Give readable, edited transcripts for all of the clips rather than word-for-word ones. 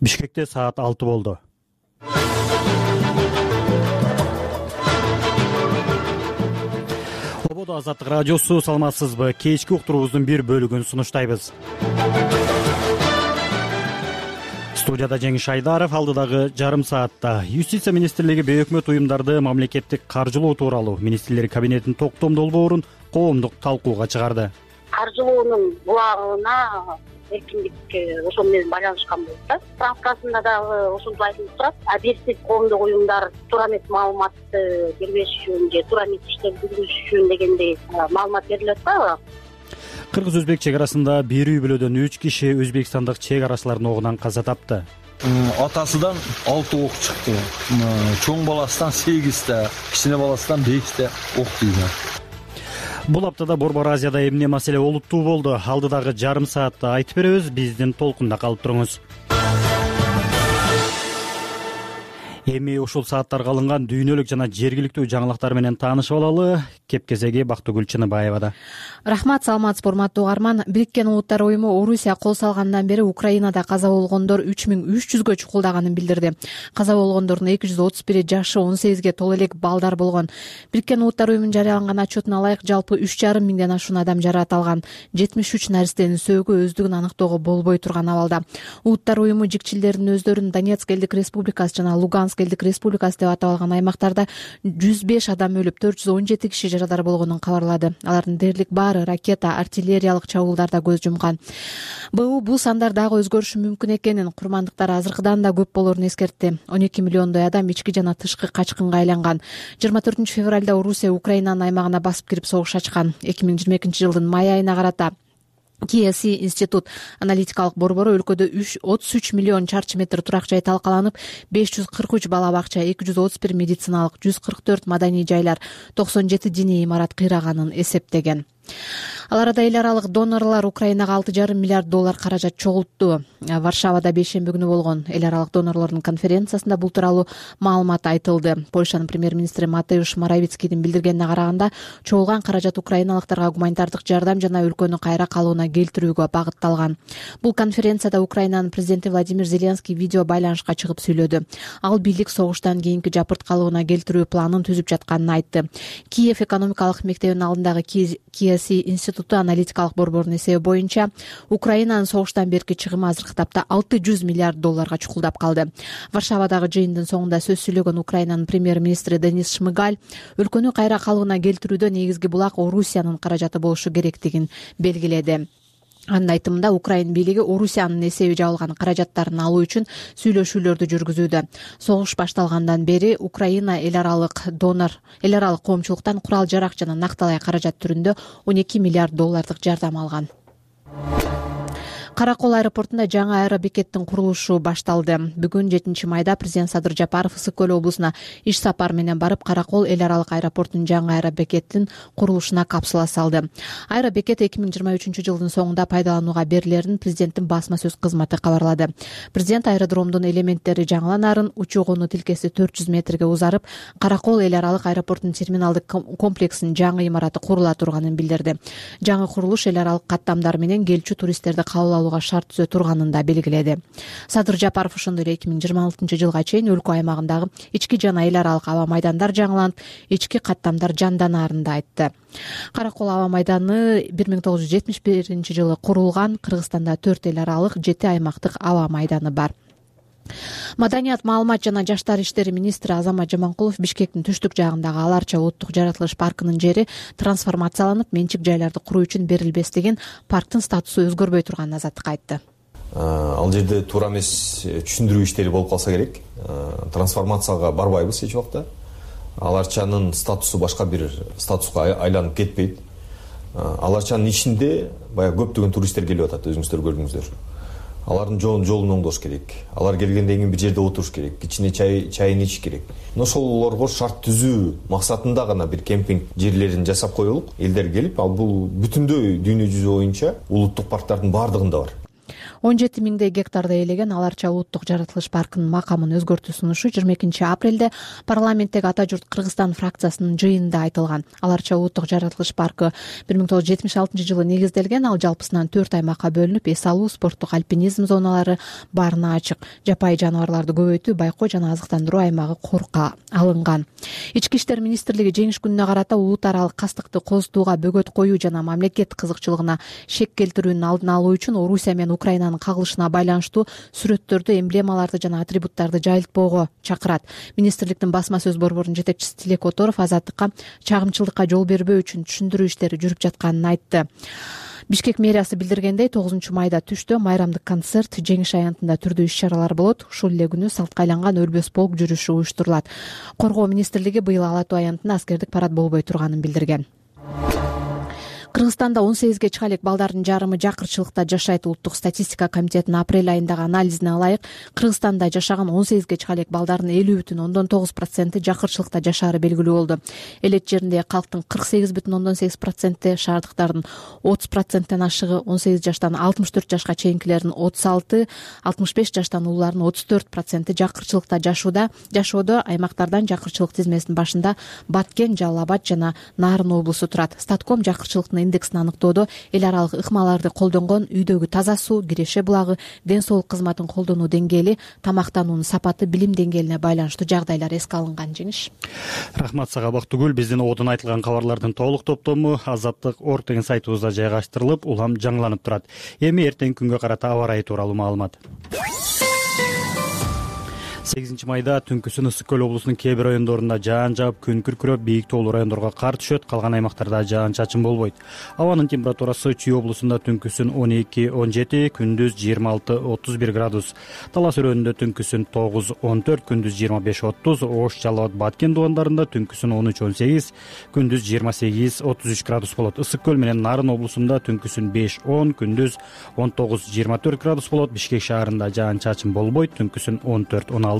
Бишкекте саат 6 болду. Ободо Азаттык радиосу, саламатсызбы? Кечки уктуруубуздун бир бөлүгүн сунуштайбыз. Студияда Жеңиш Айдаров. Алдыдагы жарым саатта Юстиция министрлиги бейөкмөт уюмдарды мамлекеттик каржылоо тууралуу министрлер кабинетинин токтом долбоорун коомдук талкууга чыгарды. Каржылоонун булагына эркиндик ошол менен байланышкан болот да. Справкасында дагы ошентип айтылып турат. Объектив коомдук уюмдар туура эмес маалыматты бербеш үчүн же туура эмес иштерди жүргүзүш үчүн дегендей маалымат берилет да. Кыргыз-өзбек чек арасында бир үй бүлөдөн 3 киши өзбекстандык чек арачылардын огунан каза тапты. Атасыдан 6 ок чыкты. Чоң баласынан 8, кичине баласынан 5 ок тийди. Бул аптада Борбор Азияда эмне маселе олуттуу болду? Алдыдагы жарым саатта айтып беребиз. Биздин толкунда калып туруңуз. Эми ушул сааттарга алынган дүйнөлүк жана жергиликтүү жаңылыктар менен таанышып алалы. Кепкезеги Бактыгүл Чыныбаевада. Рахмат, саламатсызбы урматтуу угарман. Бириккен Улуттар уюму Орусия кол салгандан бери Украинада каза болгондор 3300гө чукулдаганын билдирди. Каза болгондордун 231 жашы 18ге толо элек балдар болгон. Бириккен Улуттар уюмунун жарыялаган отчетуна ылайык жалпы 3,5 миңден ашуун адам жаракат 73 наристенин сөөгү өздүгүн аныктоого болбой турган абалда. Улуттар уюму жикчилдердин өздөрүн Донецк элдик республикасы жана Луганск элдик республикасы деп атап алган аймактарда 105 адам өлүп, 417 киши жарадар болгонун кабарлады. Алардын дээрлик баары ракета, артиллериялык чабуулдарда көз жумган. Бул сандар дагы өзгөрүшү мүмкүн экенин курмандыктар азыркыдан да көп болорун эскертти. 12 миллиондой адам ички жана тышкы качкынга айланган. 24 февралда Орусия Украинанын аймагына басып кирип согуш ачкан. 2022 жылдын май айына карата KSI институт аналитикалык борбору өлкөдө 33 миллион чарчы метр турак жай талкаланып, 543 бала бакча, 231 медициналык, 144 маданий жайлар, 97 диний имарат кыйраганын эсептеген. Ал арада эл аралык донорлор Украинага 6,5 миллиард доллар каражат чогултту. Варшавада бейшемби күнү болгон эл аралык донорлордун конференциясында бул тууралуу маалымат айтылды. Польшанын премьер-министри Матеуш Моравицкийдин билдиргенине караганда, чогулган каражат украиналыктарга гуманитардык жардам жана өлкөнү кайра калууна келтирүүгө багытталган. Бул конференцияда Украинанын президенти Владимир Зеленский видео байланышка чыгып сүйлөдү. Ал бийлик согуштан кийинки жапырт калууна келтирүү планын түзүп жатканын айтты. Киев экономикалык мектебинин алдындагы KSI институту аналитикалык борборунун эсеби боюнча, Украинанын согуштан берки чыгымы азыркы тапта 600 миллиард долларга чукулдап калды. Варшавадагы жыйындын соңунда сөз сүйлөгөн Украинанын премьер-министри Денис Шмыгаль өлкөнү кайра калууна келтирүүдө негизги булак Орусиянын каражаты болушу керектигин белгиледи. Анын айтымында Украин бийлиги Орусиянын эсеби жабылган каражаттарын алуу үчүн сүйлөшүүлөрдү жүргүзүүдө. Согуш башталгандан бери Украина эл аралык коомчулуктан курал жарак жана накталай каражат түрүндө 12 миллиард доллардык жардам алган. Каракол аэропортунда жаңы аэробекеттин курулушу башталды. Бүгүн 7 майда президент Садыр Жапаров Ысык көл облусуна иш сапар менен барып, Каракол эл аралык аэропортунун жаңы аэробекеттин курулушуна капсула салды. Аэробекет 2023 жылдын соңунда пайдаланууга берилерин президенттин басма сөз кызматы кабарлады. Президент аэродромдун элементтери жаңыланарын, учуу-конуу тилкеси 400 метрге узарып, Каракол эл аралык аэропортунун терминалдык комплексинин жаңы имараты курула турганын билдирди. Жаңы курулуш эл аралык каттамдар менен келчү туристтерди кабыл шарт түзө турганын да белгиледи. Садыр Жапаров ошондой эле 2026 жылга чейин өлкө аймагындагы ички жана эл аралык аба майдандар жаңыланып, ички каттамдар жанданарын да айтты. Каракол аба майданы 1971 жылы курулган. Кыргызстанда 4 эл аралык, 7 аймактык аба майданы бар. Маданият, маалымат жана жаштар иштери министри Азамат Жаманкулов Бишкектин түштүк жагындагы Аларча улуттук жаратылыш паркынын жери трансформацияланып, менчик жайларды куруу үчүн берилбестигин, парктын статусу өзгөрбөй турганын Азаттыкка айтты. Ал жерде туура эмес түшүндүрүү иштери болуп калса керек. Трансформацияга барбайбыз эч убакта. Аларчанын статусу башка бир статуска айланып кетпейт. Аларчанын ичинде баягы көптөгөн туристтер келип атат, өзүңүздөр көрдүңүздөр. Алардын жолун оңдош керек. Алар келгенден кийин бир жерде отуруш керек, кичине чайын ичиш керек. Ошолорго шарт түзүү максатында гана бир кемпинг жерлерин жасап коелук. Элдер келип, ал бул бүтүндөй дүйнө жүзү боюнча улуттук парктардын баардыгында бар. 17 миңдей гектарды ээлеген Ала Арча улуттук жаратылыш паркынын макамын өзгөртүү сунушу 22 апрелде парламенттеги Ата журт Кыргызстан фракциясынын жыйынында айтылган. Ала Арча улуттук жаратылыш паркы 1976 негизделген. Ал жалпысынан 4 аймакка бөлүнүп, эс алуу, спорттук альпинизм зоналары баарына ачык. Жапайы жаныбарларды көбөйтүү, байкоо жана азыктандыруу аймагы корукка алынган. Ички иштер министрлиги жеңиш күнүнө карата улут аралык кастыкты козутууга бөгөт коюу жана мамлекет кызыкчылыгына шек келтирүүнүн алдын алуу үчүн Орусия менен Украинанын кагылышына байланыштуу сүрөттөрдү, эмблемаларды жана атрибуттарды жайылтпоого чакырат. Министрликтин басма сөз борборунун жетекчиси Тилек Которов азаттыкка чагымчылыкка жол бербөө үчүн түшүндүрүү иштери жүрүп жатканын айтты. Бишкек мэриясы билдиргендей, 9 майда түштө майрамдык концерт, жеңиш аянтында түрдүү иш-чаралар болот. Ушул эле күнү салтка айланган өрбөс полк жүрүшү уюштурулат. Коргоо министрлиги быйыл Ала Тоо аянтында аскердик парад болбой турганын билдирген. Кыргызстанда 18ге чыга элек балдардын жарымы жакырчылыкта жашайт. Улуттук статистика комитетинин апрель айындагы анализине ылайык, Кыргызстанда жашаган 18ге чыга элек балдардын 50,9% жакырчылыкта жашаары белгилүү болду. Элет жериндеги калктын 48,8%, шаардыктардын 30%тен ашыгы, 18 жаштан 64 жашка чейинкилердин 36, 65 жаштан улуулардын 34% жакырчылыкта жашоодо. Аймактардан жакырчылык тизмесинин башында Баткен, Жалал Абад жана Нарын облусу турат. Статком жакырчылыктын индексин аныктоодо эл аралык ыкмаларды колдонгон, үйдөгү таза суу, киреше булагы, ден соолук кызматын колдонуу деңгээли, тамактануунун сапаты, билим деңгээлине байланыштуу жагдайлар эске алынган. Жеңиш. Рахмат сага Бактыгүл. Биздин одон айтылган кабарлардын толук топтому Азаттык Орг сайтыбызда жайгаштырылып, улам жаңыланып турат. Эми эртеңки күнгө карата аба ырайы тууралуу маалымат. 8 майда түнкүсүн Ысык Көл облусунун кээ бир райондорунда жаан жаап, күн күркүрөп, бийик тоолуу райондорго кар түшөт, калган аймактарда жаан-чачын болбойт. Абанын температурасы Чүй облусунда түнкүсүн 12-17, күндүз 26-31 градус. Талас өрөөнүндө түнкүсүн 9-14, күндүз 25-30, Ош, Жалал Абад, Баткен дубандарында түнкүсүн 13-18, күндүз 28-33 градус болот. Ысык Көл менен Нарын облусунда түнкүсүн 5-10, күндүз 19-24 градус болот. Бишкек шаарында жаан-чачын болбойт, түнкүсүн 14-16,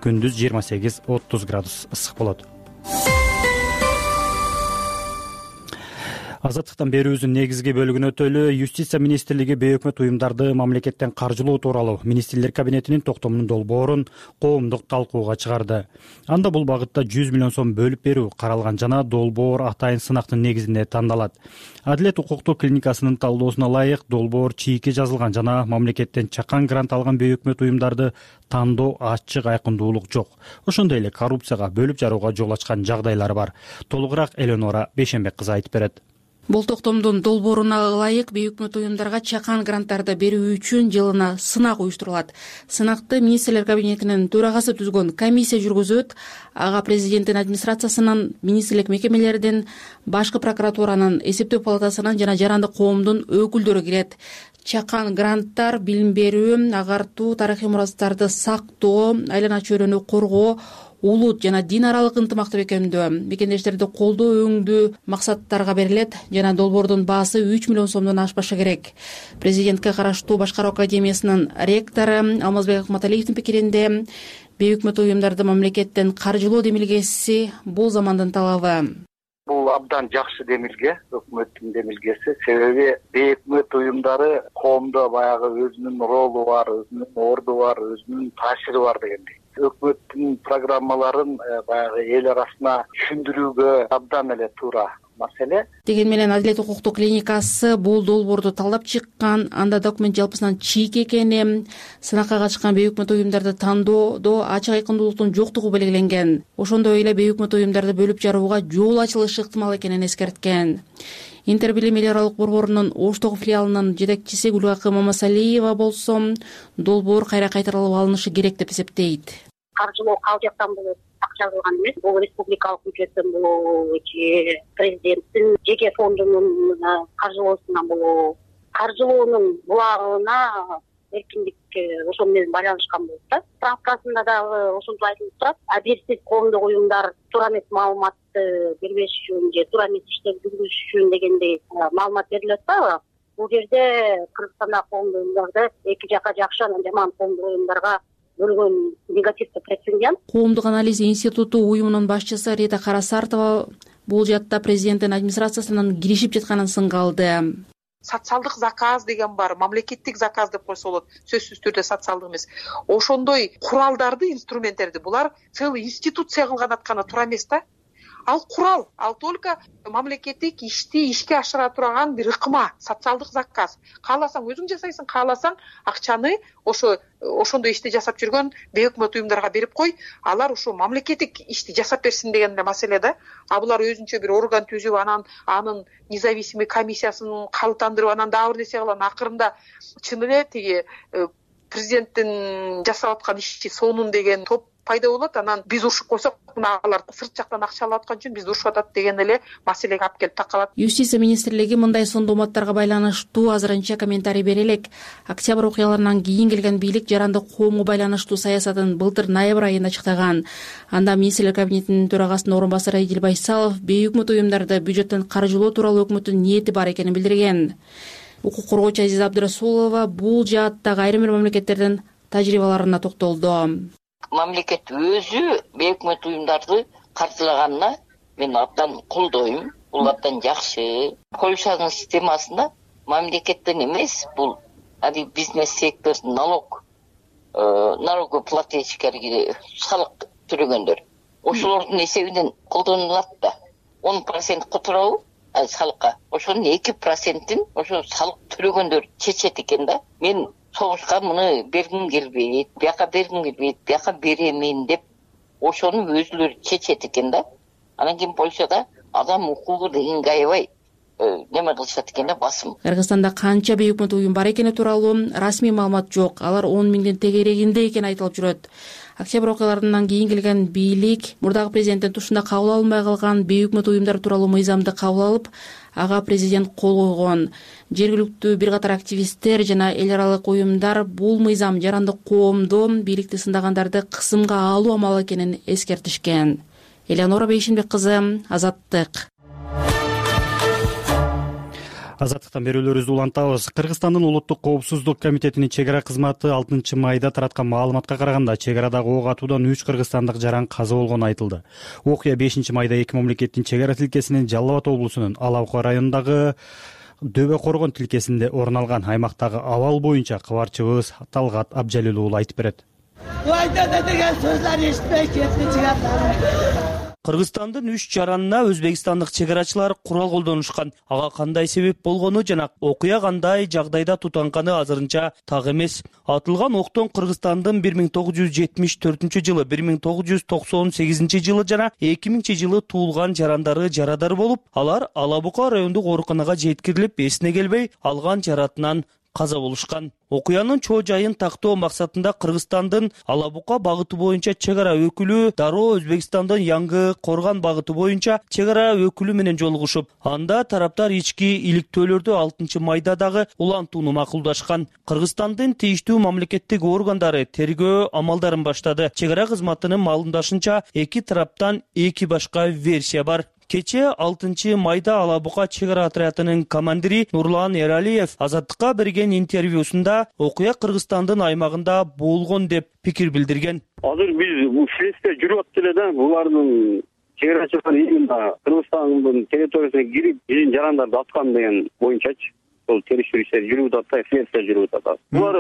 күндүз 28-30 градус ысык болот. Азаттыктан берүүбүздүн негизги бөлүгүнө өтөлү. Юстиция министрлиги бейөкмөт уюмдарды мамлекеттен каржылоо тууралуу министрлер кабинетинин токтомунун долбоорун коомдук талкууга чыгарды. Анда бул багытта 100 миллион сом бөлүп берүү каралган жана долбоор атайын сынактын негизинде тандалат. Адилет укуктук клиникасынын талдоосуна ылайык, долбоор чийки жазылган жана мамлекеттен чакан грант алган бейөкмөт уюмдарды тандоо ачык, айкындуулук жок. Ошондой эле коррупцияга, бөлүп жарууга жол ачкан жагдайлар бар. Толугураак Эленора Бейшенбек кызы айтып берет. Бул токтомдун долбооруна ылайык бейөкмөт уюмдарга чакан гранттарды берүү үчүн жылына сынак уюштурулат. Сынакты министрлер кабинетинин төрагасы түзгөн комиссия жүргүзөт. Ага президенттин администрациясынын, министрлик мекемелердин, башкы прокуратуранын, эсептөө палатасынын жана жарандык коомдун өкүлдөрү кирет. Чакан гранттар билим берүү, агартуу, тарыхый мурастарды сактоо, айлана чөйрөнү коргоо, улут жана дин аралык ынтымакты бекемдөө, мекендештерди колдоо өңдүү максаттарга берилет жана долбоордун баасы 3 миллион сомдон ашпашы керек. Президентке караштуу Башкаруу академиясынын ректору Алмазбек Акматалиевдин пикиринде, бейөкмөт уюмдарды мамлекеттен каржылоо демилгеси бул замандын талабы. Бул абдан жакшы демилге, өкмөттүн демилгеси. Себеби бейөкмөт уюмдары коомдо баягы өзүнүн ролу бар, өзүнүн орду бар, өзүнүн таасири бар дегендей. Өкмөттүн программаларын баягы эл арасына түшүндүрүүгө абдан эле туура маселе. Деген менен Адилет укуктук клиникасы бул долбоорду талдап чыккан. Анда документ жалпысынан чийки экени, сынакка катышкан бейөкмөт уюмдарды тандоодо ачык айкындуулуктун жоктугу белгиленген. Ошондой эле бейөкмөт уюмдарды бөлүп жарууга жол ачылышы ыктымал экенин эскерткен. Интербилим эл аралык борборунун Оштогу филиалынын жетекчиси Гүлгакы Мамасалиева болсо, долбоор кайра кайтарылып алынышы керек деп эсептейт. Каржылоо кал жактан болот, акча жазылган эмес. Бул республикалык бюджеттен болобу, же президенттин жеке фондунун каржылоосунан болобу. Каржылоонун булагына эркиндик ошол менен байланышкан болот да. Справкасында дагы ошентип айтылып турат. Абийирсиз коомдук уюмдар туура эмес маалыматты бербеш үчүн же туура эмес иштерди жүргүзүш үчүн дегендей маалымат берилет да. Бул жерде Кыргызстанда коомдук уюмдарды эки жака жакшы, анан жаман коомдук уюмдарга бөлгөн негативдик прецедент. Коомдук анализ институту уюмунун башчысы Рита Карасартова бул жатта президенттин администрациясынын киришип жатканын сынга алды. социалдык заказ деген бар, мамлекеттик заказ деп койсо болот, сөзсүз түрдө социалдык эмес. Ошондой куралдарды, инструменттерди булар целый институция кылган атканы туура эмес да. Ал курал, ал только мамлекеттик ишти ишке ашыра турган бир ыкма, социалдык заказ. Кааласаң өзүң жасайсың, кааласаң акчаны ошондой ишти жасап жүргөн бейөкмөт уюмдарга берип кой, алар ошо мамлекеттик ишти жасап берсин деген эле маселе да. А булар өзүнчө бир орган түзүп, анын независимый комиссиясын калыптандырып, анан дагы бир нерсе кылган, акырында чын эле тиги президенттин жасап аткан иши сонун деген топ пайда болот. Анан биз урушуп койсок, мына алар сырт жактан акча алып аткан үчүн бизди урушуп атат деген эле маселеге алып келип такалат. Юстиция министрлиги мындай сондоматтарга байланыштуу азырынча комментарий бере элек. Октябрь окуяларынан кийин келген бийлик жарандык коомго байланыштуу саясатын былтыр ноябрь айында ачыктаган. Анда министрлер кабинетинин төрагасынын орун басары Эдил Байсалов бейөкмөт уюмдарды бюджеттен каржылоо тууралуу өкмөттүн ниети бар экенин билдирген. Укук коргоочу Азиза Абдырасулова бул жааттагы айрым бир мамлекеттердин тажрыйбаларына токтолду. Мамлекет өзү бейөкмөт уюмдарды каржылаганына мен абдан колдойм. Бул абдан жакшы. Польшанын системасында мамлекеттен эмес, бул бизнес сектор, налогоплательщиктерге салык төлөгөндөр. Ошолордун эсебинен колдонулат да. 10% которобу салыкка. Ошонун 2%-ин ошо салык төлөгөндөр чечет экен да. Мен согушка муну бергим келбейт, бияка бергим келбейт, бияка беремин деп ошону өзүлөрү чечет экен да. Анан кийин Польшада адам укугу дегенге аябай неме кылышат экен да, басым. Кыргызстанда канча бейөкмөт уюм бар экени тууралуу расмий маалымат жок. Алар 10 миңдин тегерегинде экени айтылып жүрөт. Октябрь окуяларынан кийин келген бийлик мурдагы президенттин тушунда кабыл алынбай калган бейөкмөт уюмдар тууралуу мыйзамды кабыл алып, ага президент кол койгон. Жергиликтүү бир катар активисттер жана эл аралык уюмдар бул мыйзам жарандык коомду, бийликти сындагандарды кысымга алуу амалы экенин эскертишкен. Элеонора Бейшинбек кызы, Азаттык. Азаттыктан берүүлөрүбүздү улантабыз. Кыргызстандын улуттук коопсуздук комитетинин чек ара кызматы 6 майда тараткан маалыматка караганда чек арадагы ок атуудан 3 кыргызстандык жаран каза болгону айтылды. Окуя 5 майда эки мамлекеттин чек ара тилкесинин Жалал Абад облусунун Ала-Бука районундагы Дөбө Коргон тилкесинде орун алган. Аймактагы абал боюнча кабарчыбыз Талгат Абжалил уулу айтып берет. Айта деген сөздөрдү эшитпей кетти чыгат. Кыргызстандын 3 жаранына өзбекстандык чек арачылар курал колдонушкан. Ага кандай себеп болгону жана окуя кандай жагдайда тутанганы азырынча так эмес. Атылган октон Кыргызстандын 1974-жылы, 1998 жылы жана 2000-жылы туулган жарандары жарадар болуп, алар Ала-Бука райондук ооруканага жеткирилип, эсине келбей алган жаратынан каза болушкан. Окуянын чоо жайын тактоо максатында Кыргызстандын Ала-Бука багыты боюнча чек ара өкүлү дароо Өзбекстандын Яңгы Корган багыты боюнча чек ара өкүлү менен жолугушуп, анда тараптар ички иликтөөлөрдү 6 майда дагы улантууну макулдашкан. Кыргызстандын тийиштүү мамлекеттик органдары тергөө амалдарын баштады. Чек ара кызматынын маалымдашынча, эки тараптан эки башка версия бар. Кече 6 майда Ала-Бука чек ара отрядынын командири Нурлан Эралиев Азаттыкка берген интервьюсунда окуя Кыргызстандын аймагында болгон деп пикир билдирген. Азыр биз бул следствие жүрүп атат эле да, булардын чек арачылар именно Кыргызстандын территориясына кирип, биздин жарандарды аткан деген боюнчачы. Сол териштирүү иштери жүрүп атат, следствие жүрүп атат. Булар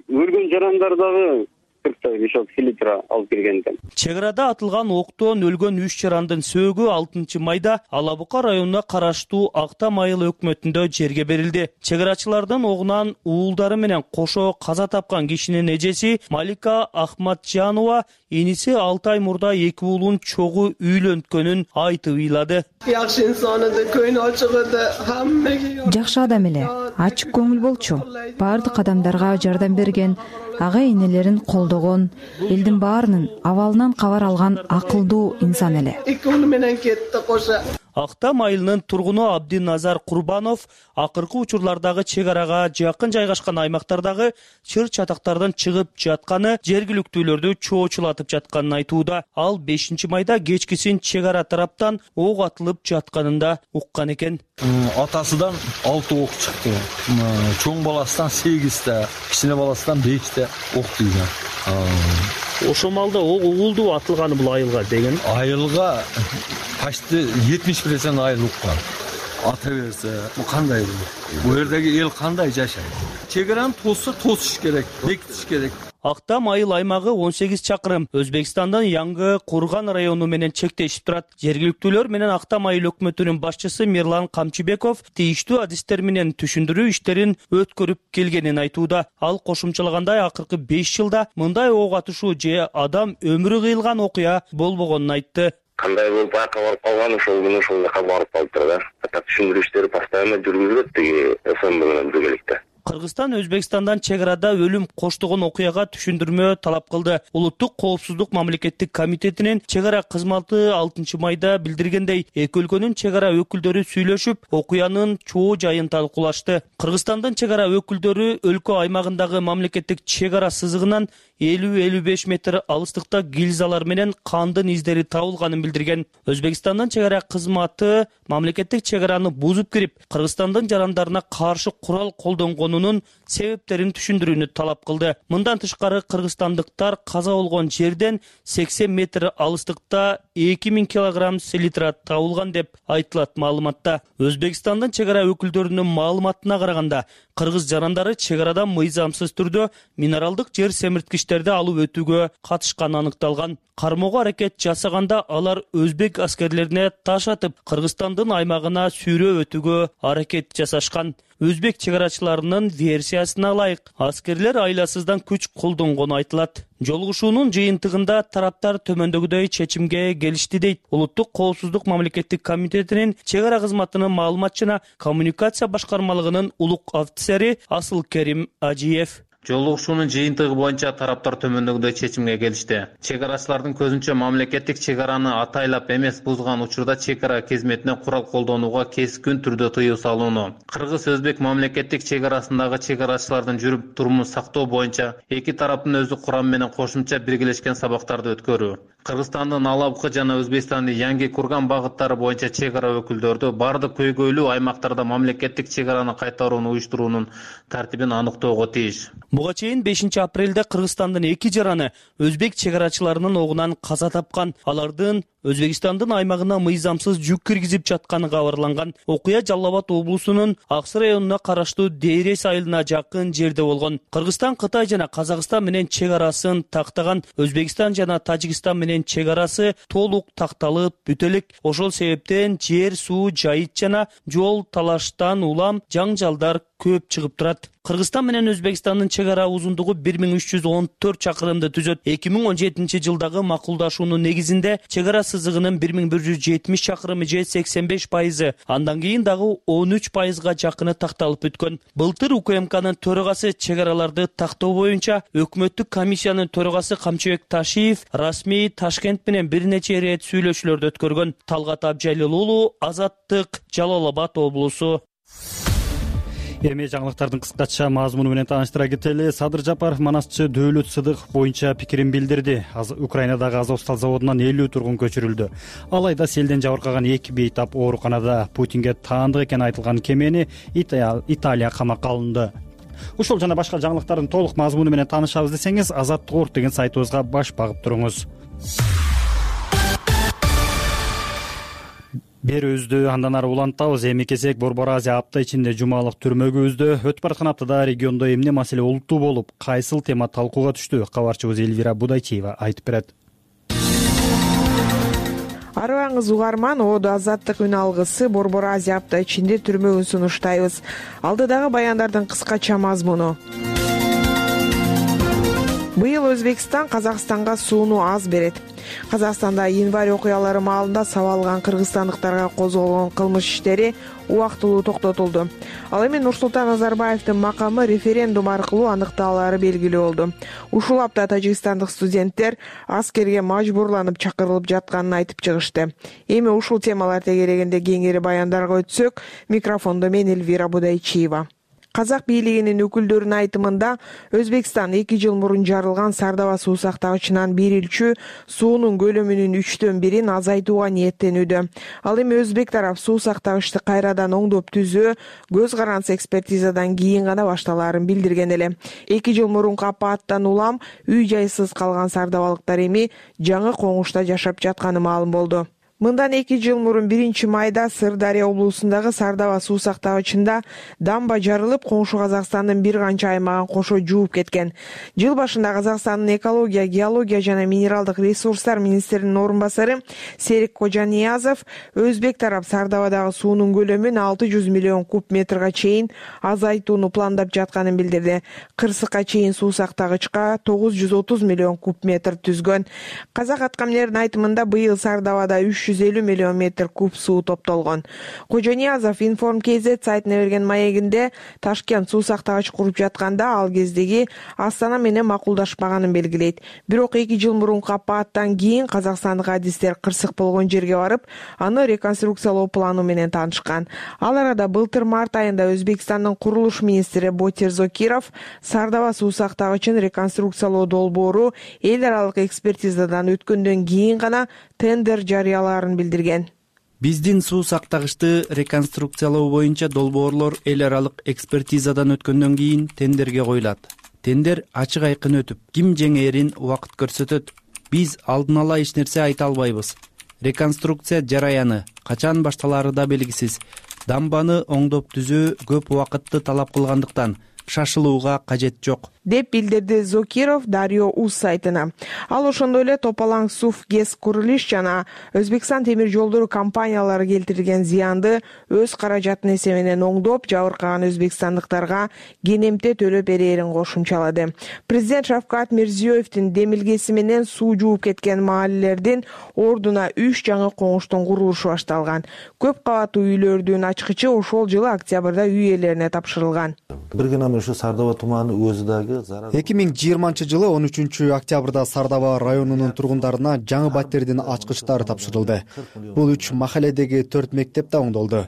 өлгөн жарандар дагы 40 мешок селитра алып келген экен. Чек арада атылган октон өлгөн 3 жарандын сөөгү 6 майда Ала-Бука районуна караштуу Акта Майыл өкмөтүндө жерге берилди. Чек арачылардын огунан уулдары менен кошо каза тапкан кишинин эжеси Малика Ахматжанова иниси 6 ай мурда эки уулун чогуу үйлөнткөнүн айтып ыйлады. Жакшы инсан эди, көйнү ачык эди, хаммеге жакшы адам эле, ачык көңүл болчу. Бардык адамдарга жардам берген, ага энелерин колдогон, элдин баарынын абалынан кабар алган акылдуу инсан эле. Эки уулу менен кетти кошо. Акта Майылынын тургуну Абдиназар Курбанов акыркы учурлардагы чек арага жакын жайгашкан аймактардагы чыр чатактардан чыгып жатканы, жергиликтүүлөрдү чоочулатып жатканын айтууда. Ал 5 майда кечкисин чек ара тараптан ок атылып жатканын да уккан экен. Атасыдан 6 ок чыкты. Чоң баласынан 8-те, кичине баласынан 5-те ок тийген. Ошо малда уулду атылганы бул айылга деген. Айылга почти 70% айыл уккан. ата берсе бул кандай болот? Бул жердеги эл кандай жашайт? Чек араны тосса тосуш керек, бекитиш керек. Актам айыл аймагы 18 чакырым Өзбекстандын Яңгы Курган району менен чектешип турат. Жергиликтүүлөр менен Актам айыл өкмөтүнүн башчысы Мирлан Камчыбеков тийиштүү адистер менен түшүндүрүү иштерин өткөрүп келгенин айтууда. Ал кошумчалагандай акыркы 5 жылда мындай ок атышуу же адам өмүрү кыйылган окуя болбогонун айтты. Кандай болуп байка барып калган ошол күнү ошол жака барып калыптыр да. Түшүндүрүү иштери постоянно жүргүзүлөт тиги СМБ менен биргеликте. Кыргызстан Өзбекстандан чек арада өлүм коштогон окуяга түшүндүрмө талап кылды. Улуттук коопсуздук мамлекеттик комитетинин чек ара кызматы 6 майда билдиргендей, эки өлкөнүн чек ара өкүлдөрү сүйлөшүп, окуянын чоо жайын талкуулашты. Кыргызстандын чек ара өкүлдөрү өлкө аймагындагы мамлекеттик чек ара сызыгынан 50-55 метр алыстыкта гильзалар менен кандын издери табылганын билдирген. Өзбекстандын чек ара кызматы мамлекеттик чек араны бузуп кирип, Кыргызстандын жарандарына каршы курал колдонгонунун себептерин түшүндүрүүнү талап кылды. Мындан тышкары кыргызстандыктар каза болгон жерден 80 метр алыстыкта 2000 килограмм селитра табылган деп айтылат маалыматта. Өзбекстандын чек ара өкүлдөрүнүн маалыматына караганда, кыргыз жарандары чек арадан мыйзамсыз түрдө минералдык жер семирткичтерди алып өтүүгө катышканы аныкталган. Кармоого аракет жасаганда алар өзбек аскерлерине таш атып, Кыргызстандын аймагына сүйрөө өтүүгө аракет жасашкан. Өзбек чек арачыларынын версиясына ылайык, аскерлер айласыздан күч колдонгону айтылат. Жолугушуунун жыйынтыгында тараптар төмөндөгүдөй чечимге келишти дейт Улуттук коопсуздук мамлекеттик комитетинин чек ара кызматынын маалыматчына коммуникация башкармалыгынын улук офицери Асылкерим Ажиев. Жолугушуунун жыйынтыгы боюнча тараптар төмөндөгүдөй чечимге келишти. Чек арачылардын көзүнчө мамлекеттик чек араны атайлап эмес бузган учурда чек ара кызметине курал колдонууга кескин түрдө тыюу салууну. Кыргыз-өзбек мамлекеттик чек арасындагы чек арачылардын жүрүп турумун сактоо боюнча эки тараптын өздүк курамы менен кошумча биргелешкен сабактарды өткөрүү. Кыргызстандын Алапкы жана Өзбекстандын Яңгы Курган багыттары боюнча чек ара өкүлдөрдү бардык көйгөйлүү аймактарда мамлекеттик чек араны кайтарууну уюштуруунун тартибин аныктоого тийиш. Буга чейин 5 апрелде Кыргызстандын эки жараны өзбек чек арачыларынын огунан каза тапкан. Алардын Өзбекстандын аймагына мыйзамсыз жүк киргизип жатканы кабарланган. Окуя Жалал Абад облусунун Аксы районуна караштуу Дейрес айылына жакын жерде болгон. Кыргызстан Кытай жана Казакстан менен чек арасын тактаган. Өзбекстан жана Тажикстан менен чек арасы толук такталып бүтө элек. Ошол себептен жер, суу, жайыт жана жол талаштан улам жаңжалдар көп чыгып турат. Кыргызстан менен Өзбекстандын чек ара узундугу 1314 чакырымды түзөт. 2017 жылдагы макулдашуунун негизинде чек ара сызыгынын 1170 чакырымы же 85%, андан кийин дагы 13%га жакыны такталып бүткөн. Былтыр УКМКнын төрагасы чек араларды тактоо боюнча өкмөттүк комиссиянын төрагасы Камчыбек Ташиев расмий Ташкент менен бир нече ирет сүйлөшүүлөрдү өткөргөн. Талгат Абжалил уулу, Азаттык, Жалал Абад облусу. Эми жаңылыктардын кыскача мазмуну менен тааныштыра кетели. Садыр Жапаров манасчы Дөөлөт Сыдык боюнча пикирин билдирди. Украинадагы Азовстал заводунан 50 тургун көчүрүлдү. Алайда селден жабыркаган 2 бейтап ооруканада Путинге таандык экени айтылган кемени Италия камакка алынды. Ушул жана башка жаңылыктардын толук мазмуну менен таанышабыз десеңиз, Азаттык Орт деген сайтыбызга баш багып туруңуз. Бери үздү, андан ары улантабыз. Эми кесек Борбор Азия апта ичинде жумалык түрмөгө үздү. Өтүп бараткан аптада региондо эмне маселе олуттуу болуп, кайсыл тема талкууга түштү? Кабарчыбыз Элвира Будайчиева айтып берет. Арыбаңыз угарман, Оодо Азаттык үн алгысы Борбор Азия апта ичинде түрмөгүн сунуштайбыз. Алдыдагы баяндардын кыскача мазмуну. Быйыл Өзбекстан Казакстанга сууну аз берет. Казакстанда январь окуялары маалында сабалган кыргызстандыктарга козголгон кылмыш иштери убактылуу токтотулду. Ал эми Нурсултан Назарбаевдин макамы референдум аркылуу аныкталаары белгилүү болду. Ушул апта тажикстандык студенттер аскерге мажбурланып чакырылып жатканын айтып чыгышты. Эми ушул темалар тегерегинде кеңири баяндарга өтсөк, микрофондо мен Элвира Будайчиева. Казак бийлигинин өкүлдөрүнүн айтымында Өзбекстан 2 жыл мурун жарылган Сардаба суу сактагычынан берилчү суунун көлөмүнүн 3/1 азайтууга ниеттенүүдө. Ал эми өзбек тарап суу сактагычты кайрадан оңдоп түзөө көз карандысы экспертизадан кийин гана башталаарын билдирген эле. 2 жыл мурунку апаттан улам үй жайсыз калган сардабалыктар эми жаңы коңушта жашап жатканы маалым болду. Мындан 2 жыл мурун 1-майда Сырдария облусундагы Сардаба суу сактагычында дамба жарылып, коңшу Казакстандын бир канча аймагын кошо жууп кеткен. Жыл башында Казакстандын экология, геология жана минералдык ресурстар министринин орун басары Серик Кожаниязов өзбек тарап Сардабадагы суунун көлөмүн 600 миллион куб метрге чейин азайтууну пландап жатканын билдирди. Кырсыкка чейин суу сактагычка 930 миллион куб метр түзгөн. Казак аткаминердин айтымында быйыл Сардабада 350 миллион метр куб суу топтолгон. Кожаниязов Inform KZ сайтына берген маегинде Ташкент суу сактагыч куруп жатканда ал кездеги Астана менен макулдашпаганын белгилейт. Бирок 2 жыл мурунку апаттан кийин казакстандык адистер кырсык болгон жерге барып, аны реконструкциялоо планы менен таанышкан. Ал арада былтыр март айында Өзбекстандын курулуш министри Ботир Зокиров Сардаба суу сактагычын реконструкциялоо долбоору эл аралык экспертизадан өткөндөн кийин гана тендер жарыялаарын билдирген. Биздин суу сактагычты реконструкциялоо боюнча долбоорлор эл аралык экспертизадан өткөндөн кийин тендерге коюлат. Тендер ачык айкын өтүп, ким жеңээрин убакыт көрсөтөт. Биз алдын ала эч нерсе айта албайбыз. Реконструкция жараяны качан башталары да белгисиз. Дамбаны оңдоп түзөө көп убакытты талап кылгандыктан шашылууга кажет жок, деп билдирди Зокиров Дарио Уз сайтына. Ал ошондой эле Топалаң Суф ГЭС Курулиш жана Өзбекстан темир жолдору компаниялары келтирген зыянды өз каражатынын эсебинен оңдоп, жабыркаган өзбекстандыктарга кенемте төлөп берээрин кошумчалады. Президент Шавкат Мирзиёевдин демилгеси менен суу жууп кеткен маалелердин ордуна 3 жаңы коңуштун курулушу башталган. Көп кабаттуу үйлөрдүн ачкычы ошол жылы октябрда үй ээлерине тапшырылган. Ушу Сардоба туманы өзү дагы 2020 жылы 13 октябрда Сардоба районунун тургундарына жаңы баттердин ачкычтары тапшырылды. Бул 3 махаледеги 4 мектеп да оңдолду.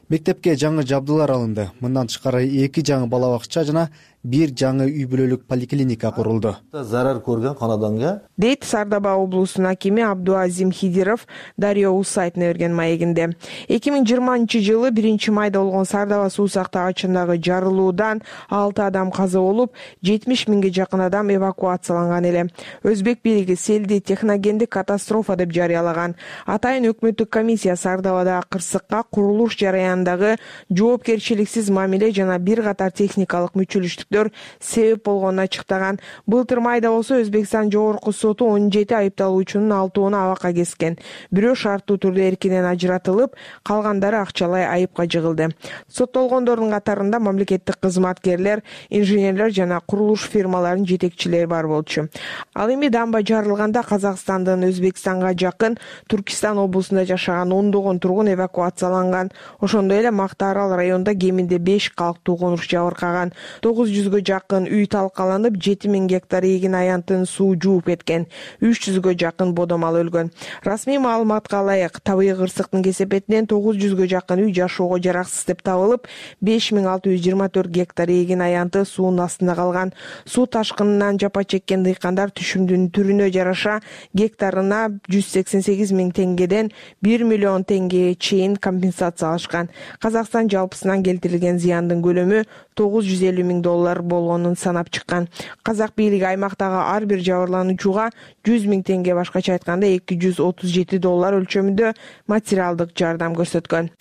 Мектепке жаңы жабдылар алынды. Мындан тышкары 2 жаңы бала бакча жана 1 жаңы үй бүлөлүк поликлиника курулду. Зарар көргөн канаданга, дейт Сардаба облусунун акими Абдуазим Хидиров Дарио Уз сайтына берген маегинде. 2020 жылы 1-майда болгон Сардаба суу сактагычындагы жарылуудан 6 адам каза болуп, 70 миңге жакын адам эвакуацияланган эле. Өзбек бийлиги селди техногендик катастрофа деп жарыялаган. Атайын өкмөттүк комиссия Сардабадагы кырсыкка курулуш жараянындагы жоопкерчиликсиз мамиле жана бир катар техникалык мүчүлүштүк себеп болгонун ачыктаган. Былтыр майда болсо Өзбекстан жогорку соту 17 айыпталуучунун 6-ны абакка кескен. Бирөө шарттуу түрдө эркинен ажыратылып, калгандары акчалай айыпка жыгылды. Соттолгондордун катарында мамлекеттик кызматкерлер, инженерлер жана курулуш фирмаларынын жетекчилери бар болчу. Ал эми дамба жарылганда Казакстандын Өзбекстанга жакын Түркистан облусунда жашаган ондогон тургун эвакуацияланган. Ошондой эле Мактаарал районунда кеминде 5 калктуу конуш жабыркаган. 900-гө жакын үй талкаланып, 7000 гектар эгин аянтын суу жууп кеткен. 300-гө жакын бодомал өлгөн. Расмий маалыматка ылайык, табигый кырсыктын кесепетинен 900-гө жакын үй жашоого жараксыз деп табылып, 5624 гектар эгин аянты суунун астында калган. Суу ташкынынан жапа чеккен дыйкандар түшүмдүн түрүнө жараша гектарына 188 миң теңгеден 1 миллион теңгеге чейин компенсация алышкан. Казакстан жалпысынан келтирилген зыяндын көлөмү $950 миң болгонун санап чыккан. Казак бийлиги аймактагы ар бир жабырлануучуга 100 миң теңге, башкача айтканда $237 өлчөмүндө материалдык жардам көрсөткөн.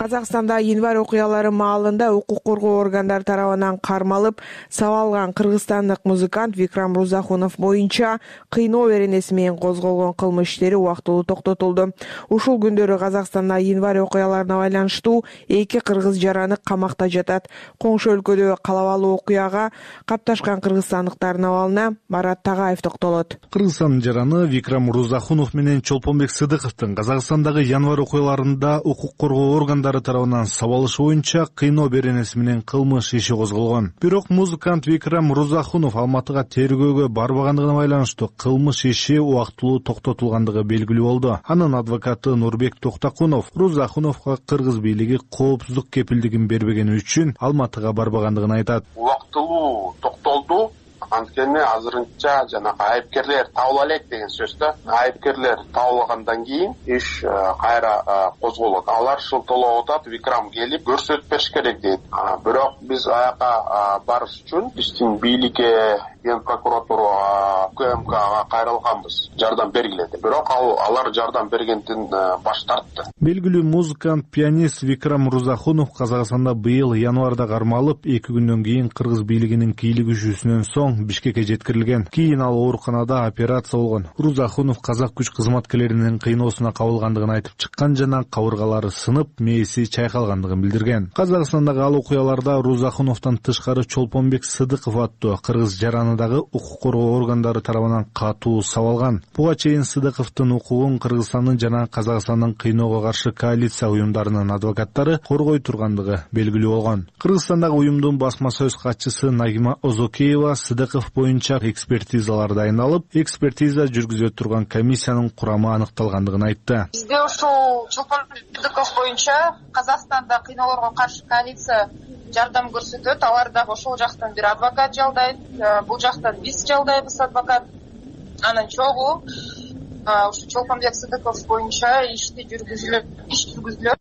Казакстанда январь окуялары маалында укук коргоо органдары тарабынан кармалып сабалган кыргызстандык музыкант Викрам Рузахунов боюнча кыйноо беренеси менен козголгон кылмыш иштери убактылуу токтотулду. Ушул күндөрү Казакстанда январь окуяларына байланыштуу 2 кыргыз жараны камакта жатат. Коңшу өлкөдө калабалуу окуяга капташкан кыргызстандыктардын абалына Марат Тагаев токтолот. Кыргызстандын жараны Викрам Рузахунов менен Чолпонбек Сыдыковдун Казакстандагы январь окуяларында укук коргоо органдары тарабынан сабалыш боюнча кыйноо беренеси менен кылмыш иши козголгон. Бирок музыкант Викрам Рузахунов Алматыга тергөөгө барбагандыгына байланыштуу кылмыш иши убактылуу токтотулгандыгы белгилүү болду. Анын адвокаты Нурбек Токтакунов Рузахуновго кыргыз бийлиги коопсуздук кепилдигин бербегени үчүн Алматыга барбагандыгын айтат. Убактылуу токтолду, анткени Анткени азырынча жанагы айыпкерлер табыла элек деген сөз да. Айыпкерлер табылгандан кийин иш кайра козголот. Алар шылтоолоп атат, Викрам келип көрсөтүп бериш керек дейт. Бирок биз аяка барыш үчүн биздин бийликке, Ген прокуратура, УКМКга кайрылганбыз. Жардам бергиле деп. Бирок алар жардам бергенден баш тартты. Белгилүү музыкант, пианист Викрам Мурзахунов Казакстанда быйыл январда кармалып, 2 күндөн кийин кыргыз бийлигинин кийлигишүүсүнөн соң Бишкекке жеткирилген. Кийин ал ооруканада операция болгон. Мурзахунов казак күч кызматкерлеринин кыйноосуна кабылгандыгын айтып чыккан жана кабыргалары сынып, мээси чайкалгандыгын билдирген. Казакстандагы ал окуяларда Мурзахуновдон тышкары Чолпонбек Сыдыков аттуу кыргыз жаранындагы укук коргоо органдары тарабынан катуу сабалган. Буга чейин Сыдыковдун укугун Кыргызстандын жана Казакстандын кыйноого каршы коалиция уюмдарынын адвокаттары коргой тургандыгы белгилүү болгон. Кыргызстандагы уюмдун басма сөз катчысы Нагима Озокеева Сыдыков боюнча экспертизалар дайындалып, экспертиза жүргүзө турган комиссиянын курамы аныкталгандыгын айтты. Бизде ушул Чолпонбек Сыдыков боюнча Казакстанда кыйноолорго каршы коалиция жардам көрсөтөт. Алар дагы ошол жактан бир адвокат жалдайт, бул жактан биз жалдайбыз адвокат. Анан чогуу ушу Чолпонбек Сыдыков боюнча иш жүргүзүлөт.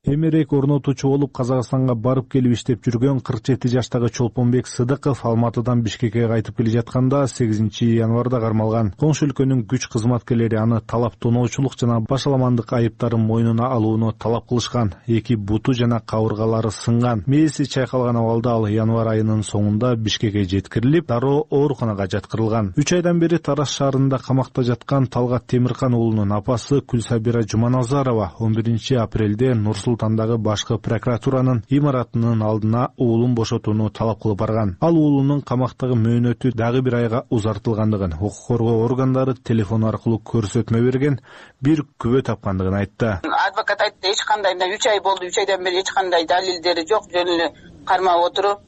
Эмерек орнотуучу болуп Казакстанга барып келип иштеп жүргөн 47 жаштагы Чолпонбек Сыдыков Алматыдан Бишкекке кайтып келе жатканда 8 январда кармалган. Коңшу өлкөнүн күч кызматкерлери аны талап тоноочулук жана башаламандык айыптарын мойнуна алууну талап кылышкан. 2 буту жана кабыргалары сынган. Мээси чайкалган абалда ал январь айынын соңунда Бишкекке жеткирилип, дароо ооруканага жаткырылган. 3 айдан бери Тараз шаарында камакта жаткан Талгат Темиркан уулунун апасы Күлсабира Жуманазарова 11 апрелде Нур-Султандагы башкы прокуратуранын имаратынын алдына уулун бошотууну талап кылып барган. Ал уулунун камактагы мөөнөтү дагы 1 айга узартылгандыгын, укук коргоо органдары телефон аркылуу көрсөтмө берген, бир күбө тапкандыгын айтты. Адвокат айтты, эч кандай 3 ай болду, 3 айдан бери эч кандай далилдери жок, жөн эле кармап отуруп,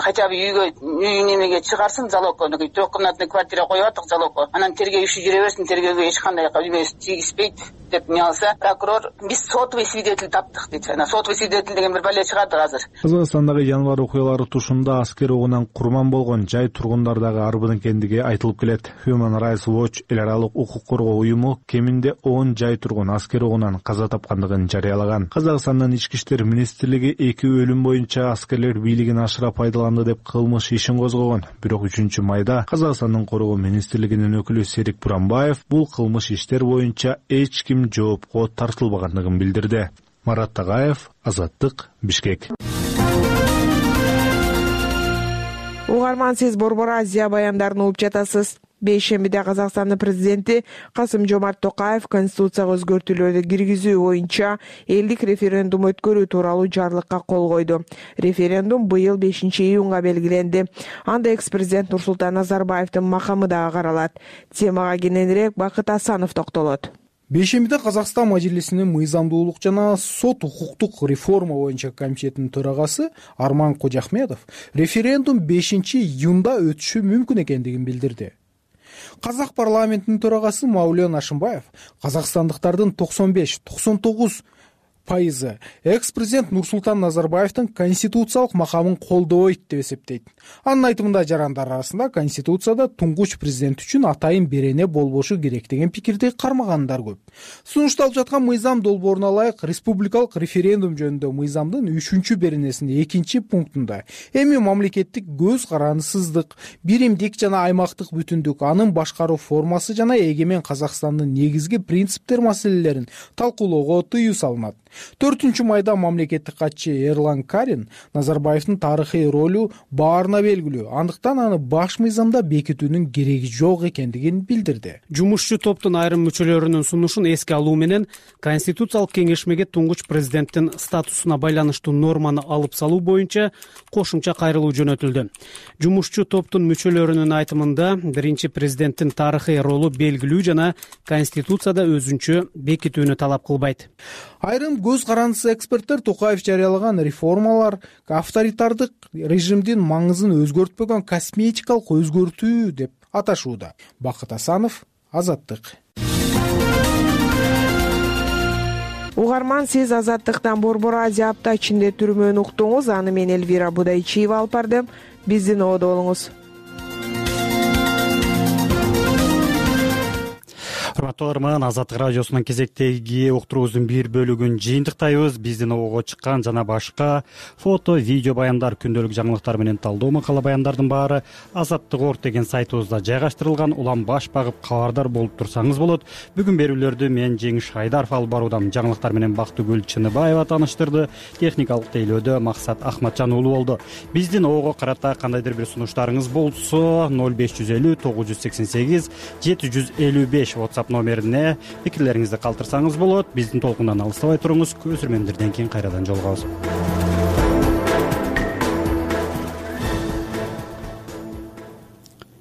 хотя бы үй немеге чыгарсын залогко, 3-комнатный квартира коюп аттык залогко. Анан тергөө иши жүрө берсин, тергөөгө эч кандай эмес тийгизбейт деп не алса, прокурор биз сотовый свидетель таптык дейт. Анан сотовый свидетель деген бир бале чыгат азыр. Казакстандагы январь окуялары тушунда аскер огунан курман болгон жай тургундар дагы арбын экендиги айтылып келет. Human Rights Watch эл аралык укук коргоо уюму кеминде 10 жай тургун аскер огунан каза тапкандыгын жарыялаган. Казакстандын ички иштер министрлиги 2 өлүм боюнча аскерлер бийлигин ашыра пайдаланды деп кылмыш ишин козгогон. Бирок 3-майда Казакстандын коргоо министрлигинин өкүлү Серик Буранбаев бул кылмыш иштер боюнча эч ким жоопко тартылбагандыгын билдирди. Марат Тагаев, Азаттык, Бишкек. Угарман, сиз Борбор Азия баяндарын угуп жатасыз. Бейшембиде Казакстандын президенти Касым-Жомарт Токаев конституцияга өзгөртүүлөрдү киргизүү боюнча элдик референдум өткөрүү тууралуу жарлыкка кол койду. Референдум быйыл 5-июнга белгиленди. Анда экс-президент Нурсултан Назарбаевдин макамы дагы каралат. Темага кененирээк Бакыт Асанов токтолот. Бейшембиде Казакстан Мажлисинин мыйзамдуулук жана сот укуктук реформа боюнча комитетинин төрагасы Арман Кожахметов референдум 5-июнда өтүшү мүмкүн экендигин билдирди. Казак парламентинин төрагасы Маулен Ашымбаев казакстандыктардын 95-99% экс-президент Нурсултан Назарбаевдин конституциялык макамын колдобойт деп эсептейт. Анын айтымында жарандар арасында конституцияда туңгуч президент үчүн атайын берене болбошу керек деген пикирди кармагандар көп. Сунушталып жаткан мыйзам долбооруна ылайык республикалык референдум жөнүндө мыйзамдын 3-беренесинин 2-пунктунда эми мамлекеттик көз карандысыздык, биримдик жана аймактык бүтүндүк, анын башкаруу формасы жана эгемен Казакстандын негизги принциптер маселелерин талкуулоого тыюу салынат. 4-майда мамлекеттик катчы Эрлан Карин Назарбаевдин тарыхый ролу баарына белгилүү, андыктан аны баш мыйзамда бекитүүнүн кереги жок экендигин билдирди. Жумушчу топтун айрым мүчөлөрүнүн сунушун эске алуу менен Конституциялык кеңешмеге туңгуч президенттин статусуна байланыштуу норманы алып салуу боюнча кошумча кайрылуу жөнөтүлдү. Жумушчу топтун мүчөлөрүнүн айтымында биринчи президенттин тарыхый ролу белгилүү жана Конституцияда өзүнчө бекитүүнү талап кылбайт. Айрым көз карандысыз эксперттер Токаев жарыялаган реформалар авторитардык режимдин маңызын өзгөртпөгөн косметикалык өзгөртүү деп аташууда. Бакыт Асанов, Азаттык. Угарман, сиз Азаттыктан Борбор Азия апта ичинде түрмөнү уктуңуз. Аны мен Элвира Будайчиева алып бардым. Биздин ободо болуңуз. урматтуу каарман, Азаттык радиосунун кезектеги уктуруубуздун бир бөлүгүн жыйынтыктайбыз. Биздин обого чыккан жана башка фото, видео баяндар, күндөлүк жаңылыктар менен талдоо макала баяндардын баары Азаттык.орг деген сайтыбызда жайгаштырылган. Улам баш багып кабардар болуп турсаңыз болот. Бүгүн берүүлөрдү мен Жеңиш Айдаров алып баруудамын. Жаңылыктар менен Бактыгүл Чыныбаева тааныштырды. Техникалык тейлөөдө Максат Ахматжан уулу болду. Биздин обого карата кандайдыр бир сунуштарыңыз болсо 0550 988 755 WhatsApp номерине пикирлериңизди калтырсаңыз болот. Биздин толкундан алыстабай туруңуз. Көзүрмөмдөрдөн кийин кайрадан жолугабыз.